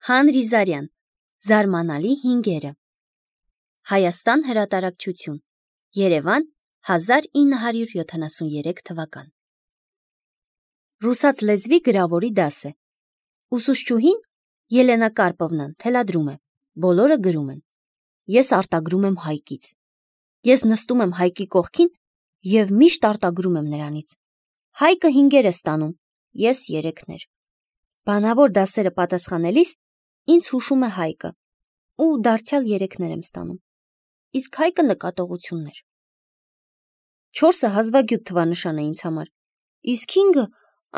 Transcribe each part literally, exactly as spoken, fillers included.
Հանրիզարյան, Զարմանալի հինգերը, Հայաստան հրատարակչություն, Երևան, հազար ինը հարյուր յոթանասուներեք թվական։ Ռուսաց լեզվի գրավորի դաս է։ Ուսուցչուհին Ելենա Կարպովնան թելադրում է, բոլորը գրում են։ Ես արտագրում եմ Հայկից։ Ես նստում եմ Հայկի կողքին և միշտ արտագրում եմ նրանից։ Հայկը հինգեր է ստանում, ես երեքներ։ Բանավոր դասերը պատասխանելիս ինձ հուշում է Հայկը, ու դարձյալ երեքներ եմ ստանում, իսկ Հայկը նկատողություններ։ Չորսը հազվագյուտ թվանշան է ինձ համար, իսկ հինգը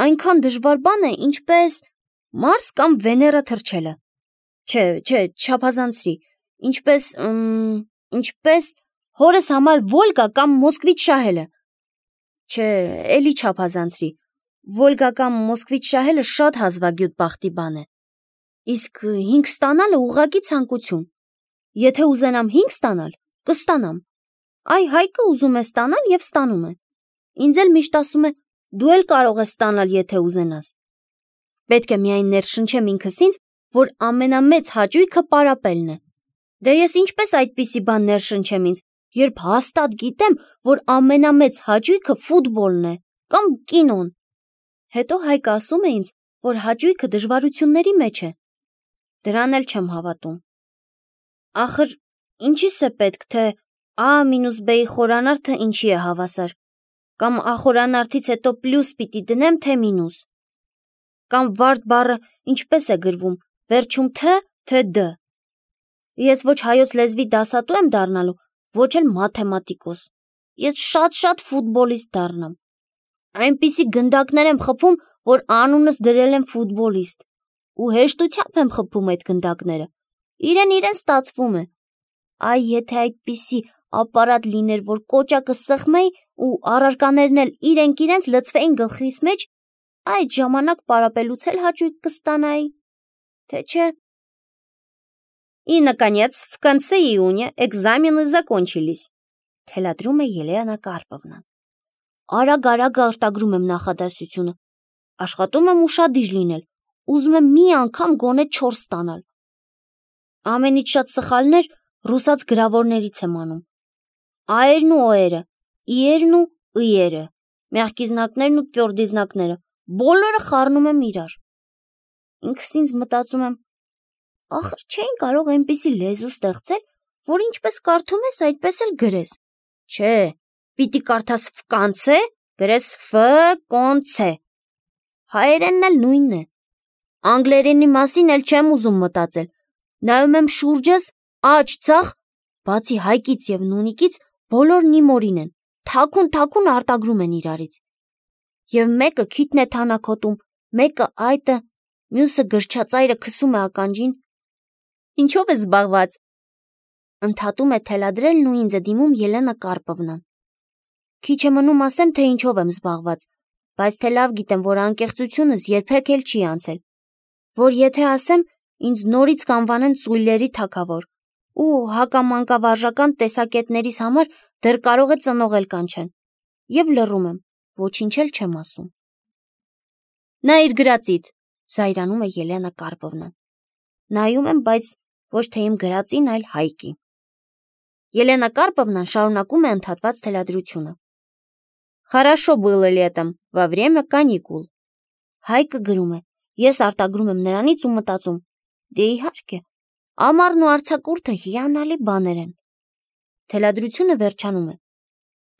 այնքան դժվար բան է, ինչպես Մարս կամ Վեներա թռչելը։ Չէ, չէ, չափազանցրի, ինչպես, ըմ, ինչպես հորս համար Վոլգա կամ Մոսկվիչ շահելը։ Չէ, էլի չափազանցրի, Վոլգա կամ Մոսկվիչ շահելը շատ հազվագյուտ բախտի բան է։ Իսկ հինգ ստանալը ուղղակի ցանկություն։ Եթե ուզենամ հինգ ստանալ, կստանամ։ Այ Հայկը ուզում է ստանալ և ստանում է։ Ինձ էլ միշտ ասում է, դու էլ կարող ես ստանալ, եթե ուզենաս։ Պետք է միայն ներշնչեմ ինքս ինձ, որ ամենամեծ հաճույքը պարապելն է։ Դե ես ինչպես այդպիսի բան ներշնչեմ ինձ, երբ հաստատ գիտեմ, որ ամենամեծ հաճույքը ֆուտբոլն է կամ կինոն։ Հետո Հայկը ասում է ինձ, որ հաճույքը դժվարությունների մեջ է։ Դրան էլ չեմ հավատում։ Ախր ինչի՞ս է պետք, թե A մինուս B-ի խորանարդը ինչի է հավասար, կամ A խորանարդից հետո պլյուս պիտի դնեմ, թե մինուս, կամ վարդ բառը ինչպես է գրվում, վերջում Თ, թե D։ Ես ոչ հայոց լեզվի դասատու եմ դառնալու, ոչ էլ մաթեմատիկոս։ Ես շատ-շատ ֆուտբոլիստ դառնամ։ Այնպիսի գնդակներ եմ խփում, որ անունս դրել եմ ֆուտբոլիստ, ու հեշտությամբ եմ խփում այդ գնդակները։ Իրեն-իրեն ստացվում է։ Այ եթե այդպիսի ապարատ լիներ, որ կոճակը սեղմեի ու առարկաներն էլ իրենք իրենց լցվեին գլխիս մեջ, այդ ժամանակ պարապելուց էլ հաճույք կստանայի, թե չէ։ И, наконец, в конце июня экзамены закончились, թելադրում է Ելենա Կարպովնան։ Արագ-արագ արտագրում եմ նախադասությունը։ Աշխատում եմ ուշադիր լինել, ուզում եմ մի անգամ գոնե չորս ստանալ։ Ամենից շատ սխալներ ռուսաց գրավորներից եմ անում։ Ա-երն ու օ-երը, ի-երն ու ը-երը, մեղքի զնակներն ու տվյորդի զնակները, բոլորը խառնում եմ իրար։ Ինքս ինձ մտածում եմ, ախր չէին կարող այնպիսի լեզու ստեղծել, որ ինչպես կարդում ես, այդպես էլ գրես։ Չէ, պիտի կարդաս ֆ-կանցե, գրես ֆ-կոնցե։ Հայերենն էլ նույնն է։ Անգլերենի մասին էլ չեմ ուզում մտածել։ Նայում եմ շուրջս, աջ ձախ, բացի Հայկից և Նունիկից, բոլորն իմ օրին են, թաքուն-թաքուն արտագրում են իրարից։ Եվ մեկը քիթն է թանաքոտում, մեկը այտը, մյուսը գրչածայրը քսում է ականջին։ Ինչով ես զբաղված։ Ընդհատում է թելադրելն ու ինձ է դիմում Ելենա Կարպովնան։ Քիչ է մնում ասեմ, թե ինչով եմ զբաղված, բայց թե լավ գիտեմ, որ անկեղծությունս երբեք էլ չի անցել, որ եթե ասեմ, ինձ նորից կանվանեն ծույլերի թագավոր, ու հակամանկավարժական տեսակետներիս համար դեռ կարող է ծնողել կանչեն, և լռում եմ, ոչինչ էլ չեմ ասում։ Նա իր գրածիդ, զայրանում է Ելենա Կարպովնան։ Նայում եմ, բայց ոչ թե իմ գրածին, այլ Հայկի։ Ելենա Կարպովնան շարունակում է ընդհատված թելադրությունը։ Хорошо было летом, во время каникул։ Հայկը գրում է, ես արտագրում եմ նրանից ու մտածում, դե իհարկե, ամառն ու արձակուրդը հիանալի բաներ են։ Թելադրությունը վերջանում է։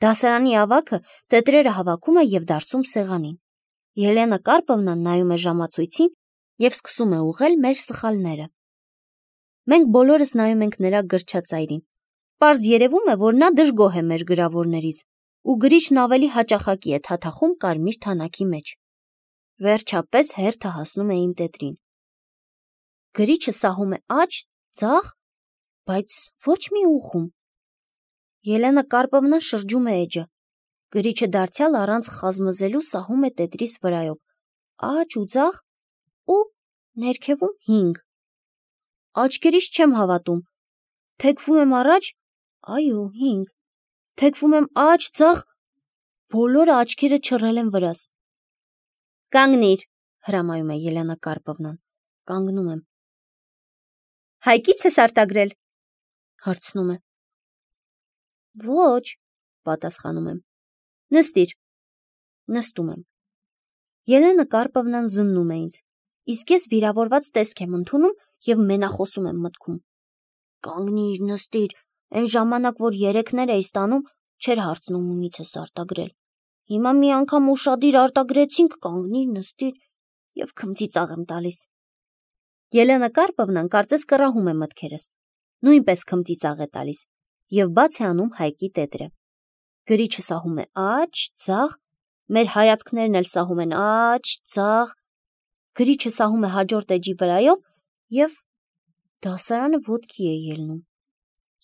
Դասարանի ավագը տետրերը հավաքում է և դարսում սեղանին։ Ելենա Կարպովնան նայում է ժամացույցին և սկսում է ուղղել մեր սխալները։ Մենք բոլորս նայում ենք նրա գրչածայրին։ Պարզ երևում է, որ նա դժգոհ է մեր գրավորներից, ու գրիչն ավելի հաճախակի է թաթախում կարմիր թանաքի մեջ։ Վերջապես հերթը հասնում է իմ տետրին։ Գրիչը սահում է աջ, ձախ, բայց ոչ մի ուղղում։ Ելենա Կարպովնան շրջում է էջը։ Գրիչը դարձյալ առանց խազմզելու սահում է տետրիս վրայով, աջ ու ձախ, ու ներքևում հինգ։ Աչքերիս չեմ հավատում։ Թեքվում եմ առաջ, այո, հինգ։ Թեքվում եմ աջ, ձախ, բոլորը աչքերը չռել են վրաս։ Կանգնիր, հրամայում է Ելենա Կարպովնան։ Կանգնում եմ։ Հայկից ես արտագրել։ Հարցնում է։ Ոչ, պատասխանում եմ։ Նստիր։ Նստում եմ։ Ելենա Կարպովնան զննում է ինձ, իսկ ես վիրավորված տեսք եմ ընդունում և մենախոսում եմ մտքում։ Կանգնիր, նստիր, այն ժամանակ, որ երեքներ էի ստանում, չէր հարցնում ումից ես արտագրել։ Հիմա մի անգամ ուշադիր արտագրեցինք, կանգնիր, նստիր և քմծիծաղ եմ տալիս։ Ելենա Կարպովնան կարծես կռահում է մտքերս, նույնպես քմծիծաղ է տալիս և բաց է անում Հայկի տետրը։ Գրիչը սահում է աջ, ձախ, մեր հայացքներն էլ սահում են աջ, ձախ, գրիչը սահում է հաջորդ էջի վրայով և դասարանը ոտքի է ելնում։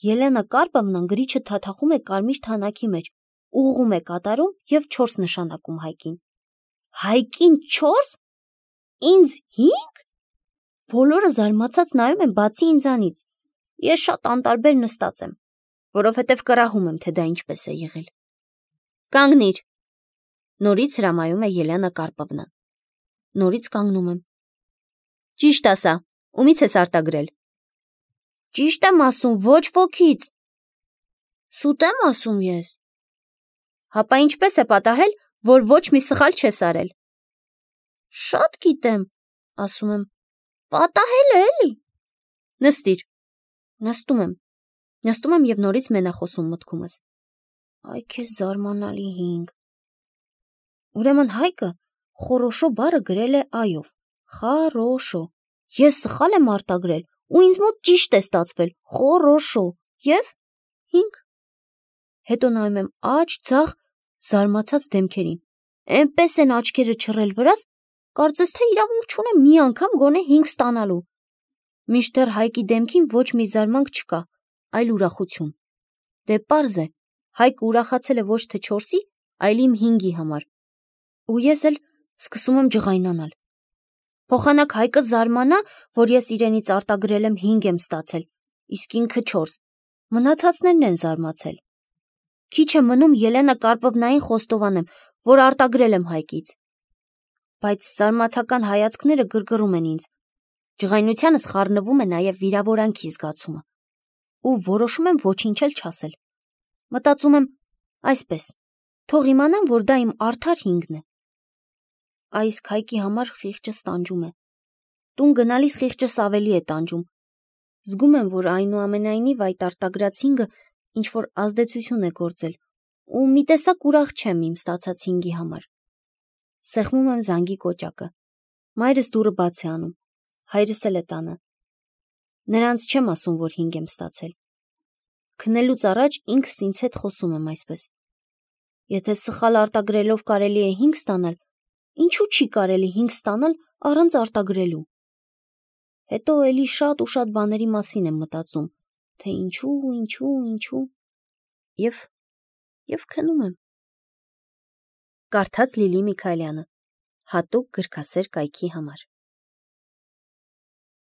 Ելենա Կարպովնան գրիչը թաթախում է կարմիր թանակի մեջ, ուղղում է կատարում և չորս նշանակում Հայկին։ Հայկին չորս, ինձ հինգ։ Բոլորը զարմացած նայում են բացի ինձանից։ Ես շատ անտարբեր նստած եմ, որովհետև կռահում եմ, թե դա ինչպես է եղել։ Կանգնիր, նորից հրամայում է Ելենա Կարպովնան։ Նորից կանգնում եմ։ Ճիշտ ասա, ումից ես արտագրել։ Ճիշտ եմ ասում, ոչ ոքից։ Սուտ եմ ասում ես։ Հապա ինչպես է պատահել, որ ոչ մի սխալ չես արել։ Շատ գիտեմ, ասում եմ, պատահել է էլի։ Նստիր։ Նստում եմ։ Նստում եմ և նորից մենախոսում մտքումս։ Այ քեզ զարմանալի հինգ։ Ուրեմն Հայկը խորոշո բառը գրել է այով, խառոշո։ Ես սխալ եմ արտագրել ու ինձ մոտ ճիշտ է ստացվել, խորոշո և հինգ։ Հետո նայում եմ աջ, ձախ, զարմացած դեմքերին։ Էնպես են աչքերը չռել վրաս, կարծես թե իրավունք չունեմ մի անգամ գոնե հինգ ստանալու։ Մինչդեռ Հայկի դեմքին ոչ մի զարմանք չկա, այլ ուրախություն։ Դե պարզ է, Հայկը ուրախացել է ոչ թե չորսի, այլ իմ հինգի համար։ Ու ես էլ սկսում եմ ջղայնանալ։ Փոխանակ Հայկը զարմանա, որ ես իրենից արտագրել եմ հինգ եմ ստացել, իսկ ինքը չորս։ Մնացածներն են զարմացել։ Քիչ է մնում Ելենա Կարպովնային խոստովանեմ, որ արտագրել եմ Հայկից։ Բայց զարմացական հայացքները գրգռում են ինձ։ Ջղայնությանս խառնվում է նաև վիրավորանքի զգացումը։ Ու որոշում եմ ոչինչ էլ չասել։ Մտածում եմ, այսպես, թող իմանան, որ դա իմ արդար հինգն է։ Այս Հայկի համար խիղճս տանջում է։ Տուն գնալիս խիղճս ավելի է տանջում։ Զգում եմ, որ այնուամենայնիվ այդ արտագրած հինգը ինչ-որ ազդեցություն է գործել ու մի տեսակ ուրախ չեմ իմ ստացած հինգի համար։ Սեղմում եմ զանգի կոճակը։ Մայրս դուռը բաց է անում։ Հայրս էլ է տանը։ Նրանց չեմ ասում, որ հինգ եմ ստացել։ Քնելուց առաջ ինքս ինձ հետ խոսում եմ այսպես. Եթե սխալ արտագրելով կարելի է հինգ ստանալ, ինչու չի կարելի հինգ ստանալ առանց արտագրելու։ Հետո էլի շատ ու շատ բաների մասին եմ մտածում, թե ինչու, ինչու, ինչու, և, և քնում եմ։ Կարդաց Լիլի Միքայելյանը, հատուկ գրքասեր կայքի համար։